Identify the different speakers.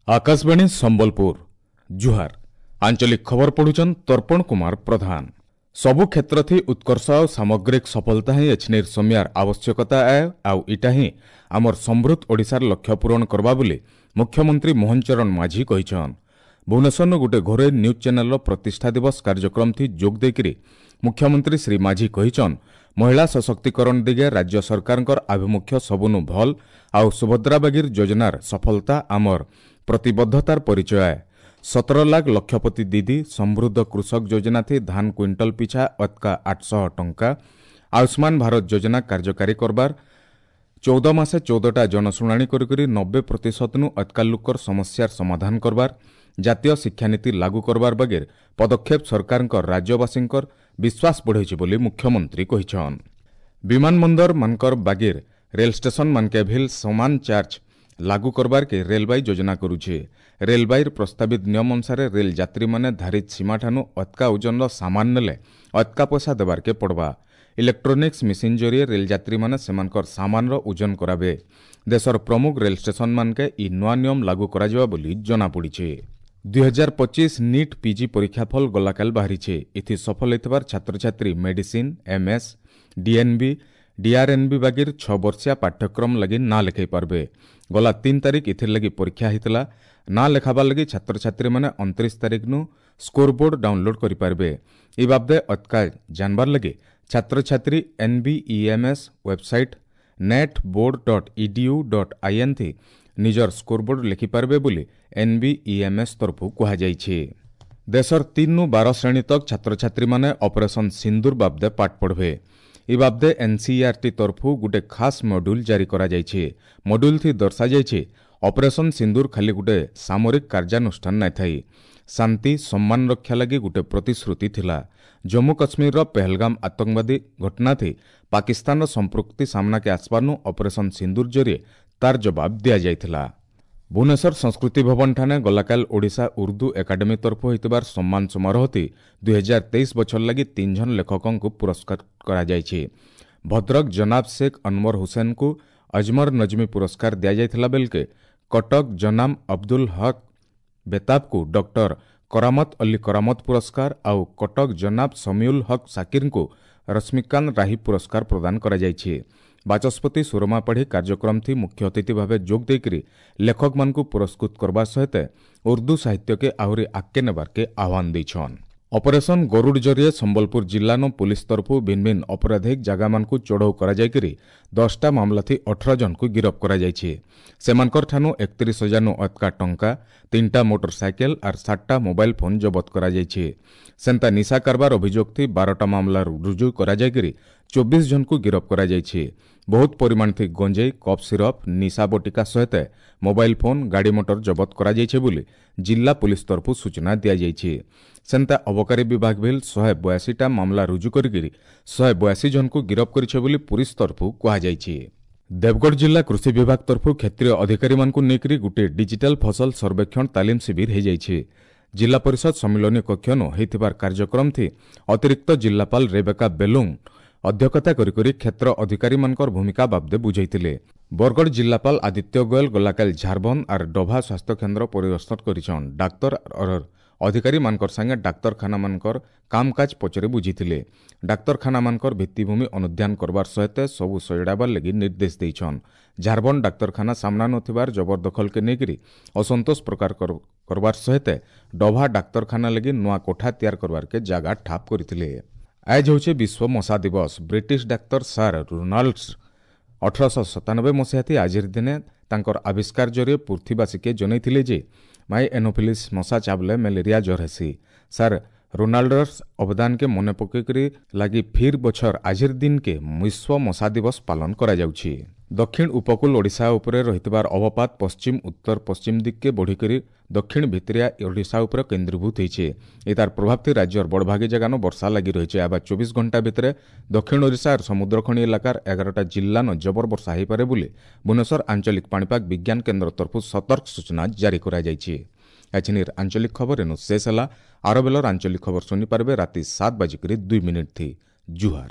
Speaker 1: ଆକାଶବାଣୀ ସମ୍ବଲପୁର, ଜୁହାର। ଆଞ୍ଚଳିକ ଖବର ପଢୁଛନ୍ ତର୍ପଣ କୁମାର ପ୍ରଧାନ। ସବୁ କ୍ଷେତ୍ରଥି ଉତ୍କର୍ଷ ଆଉ ସାମଗ୍ରିକ ସଫଳତା ହିଁ ଏଛିନିର ସମିୟାର ଆବଶ୍ୟକତା ଆଏ, ଆଉ ଇଟା ହିଁ ଆମର ସମୃଦ୍ଧ ଓଡ଼ିଶାର ଲକ୍ଷ୍ୟ ପୂରଣ କରବା ବୋଲି ମୁଖ୍ୟମନ୍ତ୍ରୀ ମୋହନ ଚରଣ ମାଝୀ କହିଛନ୍। ଭୁବନେଶ୍ୱରନୁ ଗୋଟେ ଘରୋଇ ନ୍ୟୁଜ୍ ଚ୍ୟାନେଲର ପ୍ରତିଷ୍ଠା ଦିବସ କାର୍ଯ୍ୟକ୍ରମଥି ଯୋଗ ଦେଇକରି ମୁଖ୍ୟମନ୍ତ୍ରୀ ଶ୍ରୀ ମାଝୀ କହିଛନ୍, ମହିଳା ସଶକ୍ତିକରଣ ଦିଗେ ରାଜ୍ୟ ସରକାରଙ୍କର ଆଭିମୁଖ୍ୟ ସବୁନୁ ଭଲ୍ ଆଉ ସୁଭଦ୍ରା ବାଗିର ଯୋଜନାର ସଫଳତା ଆମର ପ୍ରତିବଦ୍ଧତାର ପରିଚୟ ଆଏ। 17 ଲାଖ ଲକ୍ଷପତି ଦିଦି, ସମୃଦ୍ଧ କୃଷକ ଯୋଜନାଥି ଧାନ କୁଇଣ୍ଟାଲ ପିଛା ଅତକା 800 ଟଙ୍କା, ଆୟୁଷ୍ମାନ ଭାରତ ଯୋଜନା କାର୍ଯ୍ୟକାରୀ କରବାର, 14 ମାସେ 14ଟା ଜନଶୁଣାଣି କରିକରି 90%ନୁ ଅତକା ଲୋକର ସମସ୍ୟାର ସମାଧାନ କରବାର, ଜାତୀୟ ଶିକ୍ଷାନୀତି ଲାଗୁ କରବାର ବାଗିର ପଦକ୍ଷେପ ସରକାରଙ୍କ ରାଜ୍ୟବାସୀଙ୍କର ବିଶ୍ୱାସ ବଢ଼େଇଛି ବୋଲି ମୁଖ୍ୟମନ୍ତ୍ରୀ କହିଛନ୍। ବିମାନ ବନ୍ଦର ମାନଙ୍କର ବାଗିର ରେଲ ଷ୍ଟେସନ ମାନକେ ଭିଲ୍ ସମାନ ଚାର୍ଜ ଲାଗୁ କରବାରକେ ରେଲବାଇ ଯୋଜନା କରୁଛେ। ରେଲବାଇର ପ୍ରସ୍ତାବିତ ନିୟମ ଅନୁସାରେ ରେଲ ଯାତ୍ରୀମାନେ ଧାରିତ ସୀମାଠାନୁ ଅତକା ଓଜନର ସାମାନ ନେଲେ ଅତକା ପଇସା ଦେବାରକେ ପଡ଼ବା। ଇଲେକ୍ଟ୍ରୋନିକ୍ସ ମେସିନ୍ ଜରିଏ ରେଲ ଯାତ୍ରୀମାନେ ସେମାନଙ୍କର ସାମାନର ଓଜନ କରାବେ। ଦେଶର ପ୍ରମୁଖ ରେଲ ଷ୍ଟେସନ ମାନକେ ଇ ନୂଆ ନିୟମ ଲାଗୁ କରାଯିବା ବୋଲି ଜଣାପଡ଼ିছে। 2025 ନିଟ୍ ପିଜି ପରୀକ୍ଷାଫଳ ଗଲାକାଲ ବାହାରିছে। ଏଥି ସଫଳ ହୋଇଥିବାର ଛାତ୍ରଛାତ୍ରୀ ମେଡିସିନ୍, ଏମ୍ଏସ୍, ଡିଏନ୍ବି, ଡିଆର୍ଏନ୍ବି ବାଗିର 6 ବର୍ଷିଆ ପାଠ୍ୟକ୍ରମ ଲାଗି ନାଁ ଲେଖାଇ ପାରବେ। ଗଲା 3 ତାରିଖ ଏଥିର୍ ଲାଗି ପରୀକ୍ଷା ହେଇଥିଲା। ନାଁ ଲେଖାବାର ଲାଗି ଛାତ୍ରଛାତ୍ରୀମାନେ 29 ତାରିଖନୁ ସ୍କୋର ବୋର୍ଡ ଡାଉନଲୋଡ୍ କରିପାରିବେ। ଏ ବାବଦେ ଅତକା ଜାନବାର ଲାଗି ଛାତ୍ରଛାତ୍ରୀ ଏନ୍ବିଇଏମ୍ଏସ୍ ୱେବସାଇଟ୍ netboard.edu.in ଥି ନିଜର ସ୍କୋରବୋର୍ଡ ଲେଖିପାରିବେ ବୋଲି ଏନ୍ବିଇଏମ୍ଏସ୍ ତରଫରୁ କୁହାଯାଇଛି। ଦେଶର 3ରୁ 12 ଶ୍ରେଣୀ ତକ୍ ଛାତ୍ରଛାତ୍ରୀମାନେ ଅପରେସନ୍ ସିନ୍ଦୁର ବାବଦେ ପାଠ ପଢ଼ବେ। ଏ ବାବଦେ ଏନ୍ସିଇଆର୍ଟି ତରଫରୁ ଗୋଟେ ଖାସ୍ ମଡ୍ୟୁଲ୍ ଜାରି କରାଯାଇଛି। ମଡ୍ୟୁଲ୍ ଥି ଦର୍ଶାଯାଇଛି, ଅପରେସନ୍ ସିନ୍ଦୁର ଖାଲି ଗୋଟେ ସାମରିକ କାର୍ଯ୍ୟାନୁଷ୍ଠାନ ନାଇଁ ଥାଇ, ଶାନ୍ତି ସମ୍ମାନ ରକ୍ଷା ଲାଗି ଗୋଟେ ପ୍ରତିଶ୍ରୁତି ଥିଲା। ଜମ୍ମୁ କାଶ୍ମୀରର ପେହଲଗାମ ଆତଙ୍କବାଦୀ ଘଟଣାଥି ପାକିସ୍ତାନର ସମ୍ପୃକ୍ତି ସାମ୍ନାକେ ଆସବାରନୁ ଅପରେସନ୍ ସିନ୍ଦୁର ଜରିଏ ତାର ଜବାବ ଦିଆଯାଇଥିଲା। ଭୁବନେଶ୍ୱର ସଂସ୍କୃତି ଭବନଠାନେ ଗଲାକାଲ ଓଡ଼ିଶା ଉର୍ଦ୍ଦୁ ଏକାଡେମୀ ତରଫରୁ ହୋଇଥିବାର ସମ୍ମାନ ସମାରୋହତି 2023 ବଛର ଲାଗି 3 ଜଣ ଲେଖକଙ୍କୁ ପୁରସ୍କାର କରାଯାଇଛି। ଭଦ୍ରକ ଜନାବ ଶେଖ ଅନୱର ହୁସେନଙ୍କୁ ଅଜମର ନଜମୀ ପୁରସ୍କାର ଦିଆଯାଇଥିଲା ବେଲକେ କଟକ ଜନାମ ଅବଦୁଲ ହକ୍ ବେତାବକୁ ଡକ୍ଟର କରାମତ ଅଲ୍ଲୀ କରାମତ ପୁରସ୍କାର ଆଉ କଟକ ଜନାବ ସମିଉଲ ହକ୍ ସାକିରଙ୍କୁ ରଶ୍ମିକାନ୍ତ ରାହି ପୁରସ୍କାର ପ୍ରଦାନ କରାଯାଇଛି। ବାଚସ୍ପତି ସୁରମା ପାଢ଼ୀ କାର୍ଯ୍ୟକ୍ରମଥି ମୁଖ୍ୟ ଅତିଥି ଭାବେ ଯୋଗ ଦେଇକରି ଲେଖକମାନଙ୍କୁ ପୁରସ୍କୃତ କରବା ସହିତ ଉର୍ଦ୍ଦୁ ସାହିତ୍ୟକେ ଆହୁରି ଆଗକେ ନେବାରକେ ଆହ୍ୱାନ ଦେଇଛନ୍। ଅପରେସନ୍ ଗରୁଡ଼ ଜରିଏ ସମ୍ବଲପୁର ଜିଲ୍ଲାନ ପୁଲିସ ତରଫରୁ ଭିନ୍ନ ଭିନ୍ନ ଅପରାଧିକ ଜାଗାମାନଙ୍କୁ ଚଢ଼ଉ କରାଯାଇକରି 10ଟା ମାମଲାଥି 18 ଜଣଙ୍କୁ ଗିରଫ କରାଯାଇଛି। ସେମାନଙ୍କର ଠାନୁ 31 ହଜାରନୁ ଅତକା ଟଙ୍କା, 3ଟା ମୋଟର ସାଇକେଲ ଆର୍ 7ଟା ମୋବାଇଲ ଫୋନ୍ ଜବତ କରାଯାଇଛି। ସେନ୍ତା ନିଶା କାରବାର ଅଭିଯୋଗଥି 12ଟା ମାମଲା ରୁଜୁ କରାଯାଇକରି 24 ଜଣଙ୍କୁ ଗିରଫ କରାଯାଇଛି। ବହୁତ ପରିମାଣ ଥି ଗଞ୍ଜେଇ, କଫ୍ ସିରପ୍, ନିଶା ବଟିକା ସହିତ ମୋବାଇଲ ଫୋନ୍, ଗାଡ଼ି ମଟର ଜବତ କରାଯାଇଛି ବୋଲି ଜିଲ୍ଲା ପୁଲିସ ତରଫରୁ ସୂଚନା ଦିଆଯାଇଛି। ସେନ୍ତା ଅବକାରୀ ବିଭାଗ ଭିଲ୍ 182ଟା ମାମଲା ରୁଜୁ କରିକିରି 182 ଜଣଙ୍କୁ ଗିରଫ କରିছে ବୋଲି ପୁଲିସ ତରଫରୁ କୁହାଯାଇଛି। ଦେବଗଡ଼ ଜିଲ୍ଲା କୃଷି ବିଭାଗ ତରଫରୁ କ୍ଷେତ୍ରୀୟ ଅଧିକାରୀମାନଙ୍କୁ ନେଇକରି ଗୋଟିଏ ଡିଜିଟାଲ ଫସଲ ସର୍ବେକ୍ଷଣ ତାଲିମ ଶିବିର ହୋଇଯାଇଛି। ଜିଲ୍ଲା ପରିଷଦ ସମ୍ମିଳନୀ କକ୍ଷନୁ ହୋଇଥିବାର କାର୍ଯ୍ୟକ୍ରମଥି ଅତିରିକ୍ତ ଜିଲ୍ଲାପାଳ ରେବେକା ବେଲୁଙ୍ଗ ଅଧ୍ୟକ୍ଷତା କରିକରି କ୍ଷେତ୍ର ଅଧିକାରୀମାନଙ୍କର ଭୂମିକା ବାବଦେ ବୁଝାଇଥିଲେ। ବରଗଡ଼ ଜିଲ୍ଲାପାଳ ଆଦିତ୍ୟ ଗୋୟଲ ଗଲାକାଲି ଝାରବନ୍ଦ ଆର୍ ଡଭା ସ୍ୱାସ୍ଥ୍ୟକେନ୍ଦ୍ର ପରିଦର୍ଶନ କରିଛନ୍। ଡାକ୍ତର ଅଧିକାରୀମାନଙ୍କର ସାଙ୍ଗେ ଡାକ୍ତରଖାନାମାନଙ୍କର କାମକାଜ ପଚରେ ବୁଝିଥିଲେ। ଡାକ୍ତରଖାନାମାନଙ୍କର ଭିତ୍ତିଭୂମି ଅନୁଧ୍ୟାନ କରବାର ସହିତ ସବୁ ସଜଡ଼ାବାର ଲାଗି ନିର୍ଦ୍ଦେଶ ଦେଇଛନ୍। ଝାରବନ୍ଦ ଡାକ୍ତରଖାନା ସାମ୍ନା ନଥିବାର ଜବରଦଖଲକେ ନେଇକରି ଅସନ୍ତୋଷ ପ୍ରକାର କରବାର ସହିତ ଡଭା ଡାକ୍ତରଖାନା ଲାଗି ନୂଆ କୋଠା ତିଆର କରବାରକେ ଜାଗା ଠାପ କରିଥିଲେ। ଆজ ହେଉଛି ବିଶ୍ୱ ମଶା ଦିବସ। ବ୍ରିଟିଶ ଡାକ୍ତର ସାର୍ ରୋନାଲ୍ଡସ୍ 1897 ମସିହାତି ଆଜିର ଦିନେ ତାଙ୍କର ଆବିଷ୍କାର ଜରିଏ ପୃଥିବୀବାସୀକେ ଜଣାଇଥିଲେ ଯେ ମାଇ ଏନୋଫିଲିସ୍ ମଶା ଚାବଲେ ମ୍ୟାଲେରିଆ ଜ୍ୱର ହେସି। ସାର୍ ରୋନାଲ୍ଡର୍ସ ଅବଦାନକେ ମନେ ପକେଇକରି ଲାଗି ଫିର୍ ବଛର ଆଜିର ଦିନକେ ବିଶ୍ୱ ମଶା ଦିବସ ପାଳନ କରାଯାଉଛି। ଦକ୍ଷିଣ ଉପକୂଳ ଓଡ଼ିଶା ଉପରେ ରହିଥିବାର ଅବପାତ ପଶ୍ଚିମ ଉତ୍ତର ପଶ୍ଚିମ ଦିଗକେ ବଢ଼ିକରି ଦକ୍ଷିଣ ଭିତରିଆ ଓଡ଼ିଶା ଉପରେ କେନ୍ଦ୍ରୀଭୂତ ହୋଇছে। ଏ ତାର ପ୍ରଭାବଥି ରାଜ୍ୟର ବଡ଼ଭାଗୀ ଜାଗାନ ବର୍ଷା ଲାଗି ରହିছে। ଆବା 24 ଘଣ୍ଟା ଭିତରେ ଦକ୍ଷିଣ ଓଡ଼ିଶା ଆର୍ ସମୁଦ୍ରଖଣି ଇଲାକାର 11ଟା ଜିଲ୍ଲାନ ଜବର ବର୍ଷା ହୋଇପାରେ ବୋଲି ଭୁବନେଶ୍ୱର ଆଞ୍ଚଳିକ ପାଣିପାଗ ବିଜ୍ଞାନ କେନ୍ଦ୍ର ତରଫରୁ ସତର୍କ ସୂଚନା ଜାରି କରାଯାଇଛି। ଏଛିନିର ଆଞ୍ଚଳିକ ଖବର ଏନୁ ଶେଷ ହେଲା। ଆର ବେଲର ଆଞ୍ଚଳିକ ଖବର ଶୁଣିପାରିବେ ରାତି 7:02 ଥି। ଜୁହାର।